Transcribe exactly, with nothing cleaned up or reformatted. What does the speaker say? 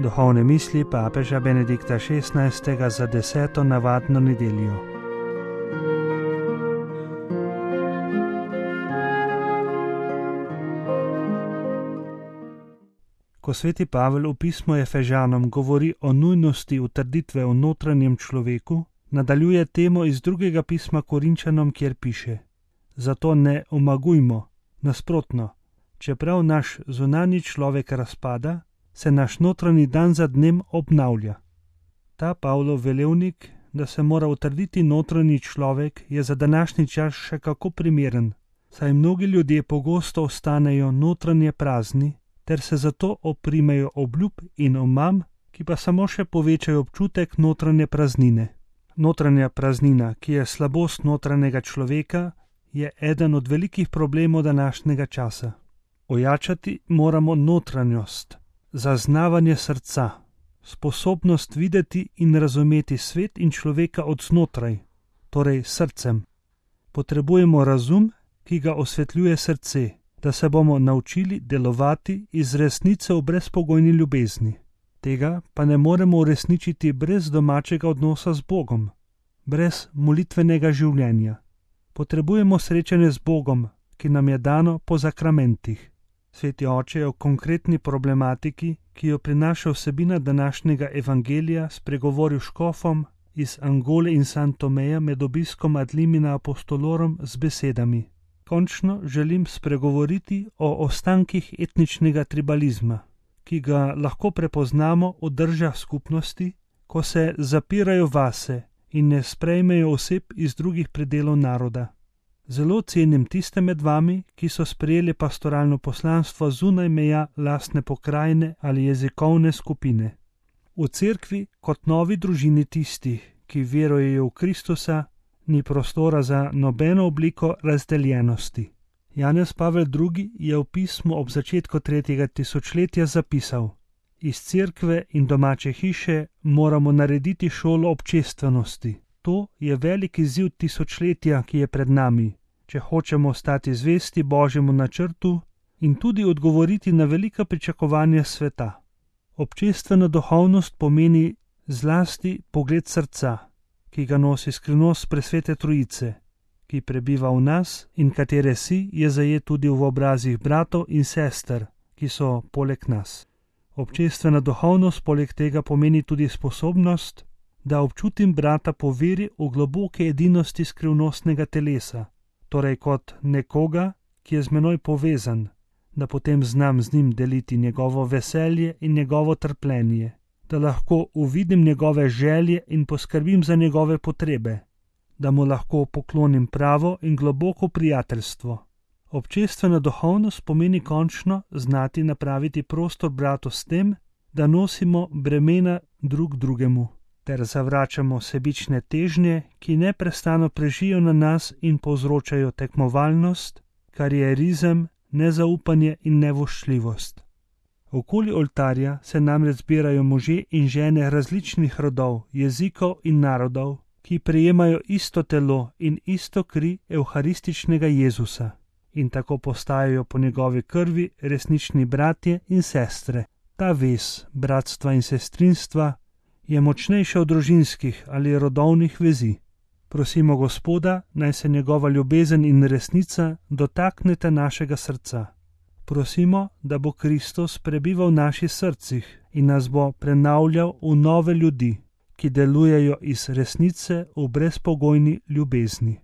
Duhovne misli papeža Benedikta šestnajstega za deseto navadno nedeljo. Ko sveti Pavel v pismu Efežanom govori o nujnosti utrditve v notranjem človeku, nadaljuje temo iz drugega pisma Korinčanom, kjer piše: Zato ne omagujmo, nasprotno, čeprav naš zunanji človek razpada, se naš notranji dan za dnem obnavlja. Ta Pavlov velevnik, da se mora utrditi notranji človek, je za današnji čas še kako primeren, saj mnogi ljudje pogosto ostanejo notranje prazni, ter se zato oprimejo obljub in omam, ki pa samo še povečajo občutek notranje praznine. Notranja praznina, ki je slabost notranjega človeka, je eden od velikih problemov današnjega časa. Ojačati moramo notranjost, zaznavanje srca, sposobnost videti in razumeti svet in človeka od znotraj, torej srcem. Potrebujemo razum, ki ga osvetljuje srce, da se bomo naučili delovati iz resnice v brezpogojni ljubezni. Tega pa ne moremo uresničiti brez domačega odnosa z Bogom, brez molitvenega življenja. Potrebujemo srečanje z Bogom, ki nam je dano po sakramentih. Sveti oče je o konkretni problematiki, ki jo prinaša vsebina današnjega evangelija, spregovoril škofom iz Angole in San Tomeja med obiskom ad limina apostolorum z besedami: Končno želim spregovoriti o ostankih etničnega tribalizma, ki ga lahko prepoznamo v državah skupnosti, ko se zapirajo vase in ne sprejmejo oseb iz drugih predelov naroda. Zelo cenim tiste med vami, ki so sprejeli pastoralno poslanstvo zunaj meja lastne pokrajine ali jezikovne skupine. V cerkvi kot novi družini tistih, ki verujejo v Kristusa, ni prostora za nobeno obliko razdeljenosti. Janez Pavel drugi je v pismu ob začetku tretjega tisočletja zapisal: Iz cerkve in domače hiše moramo narediti šolo občestvenosti. To je velik izziv tisočletja, ki je pred nami, če hočemo ostati zvesti Božjemu načrtu in tudi odgovoriti na velika pričakovanja sveta. Občestvena duhovnost pomeni zlasti pogled srca, ki ga nosi skrivnost presvete Trojice, ki prebiva v nas in katere si je zajet tudi v obrazih bratov in sester, ki so poleg nas. Občestvena duhovnost poleg tega pomeni tudi sposobnost, da občutim brata po veri v globoke edinosti skrivnostnega telesa, torej kot nekoga, ki je z menoj povezan, da potem znam z njim deliti njegovo veselje in njegovo trpljenje, da lahko uvidim njegove želje in poskrbim za njegove potrebe, da mu lahko poklonim pravo in globoko prijateljstvo. Občestvena duhovnost pomeni končno znati napraviti prostor bratu s tem, da nosimo bremena drug drugemu, ter zavračamo sebične težnje, ki neprestano prežijo na nas in povzročajo tekmovalnost, karierizem, nezaupanje in nevoščljivost. Okoli oltarja se namreč zbirajo možje in žene različnih rodov, jezikov in narodov, ki prejemajo isto telo in isto kri evharističnega Jezusa in tako postajajo po njegovi krvi resnični bratje in sestre. Ta vez bratstva in sestrinstva je močnejša od družinskih ali rodovnih vezi. Prosimo Gospoda, naj se njegova ljubezen in resnica dotakneta našega srca. Prosimo, da bo Kristus prebival v naših srcih in nas bo prenavljal v nove ljudi, ki delujejo iz resnice v brezpogojni ljubezni.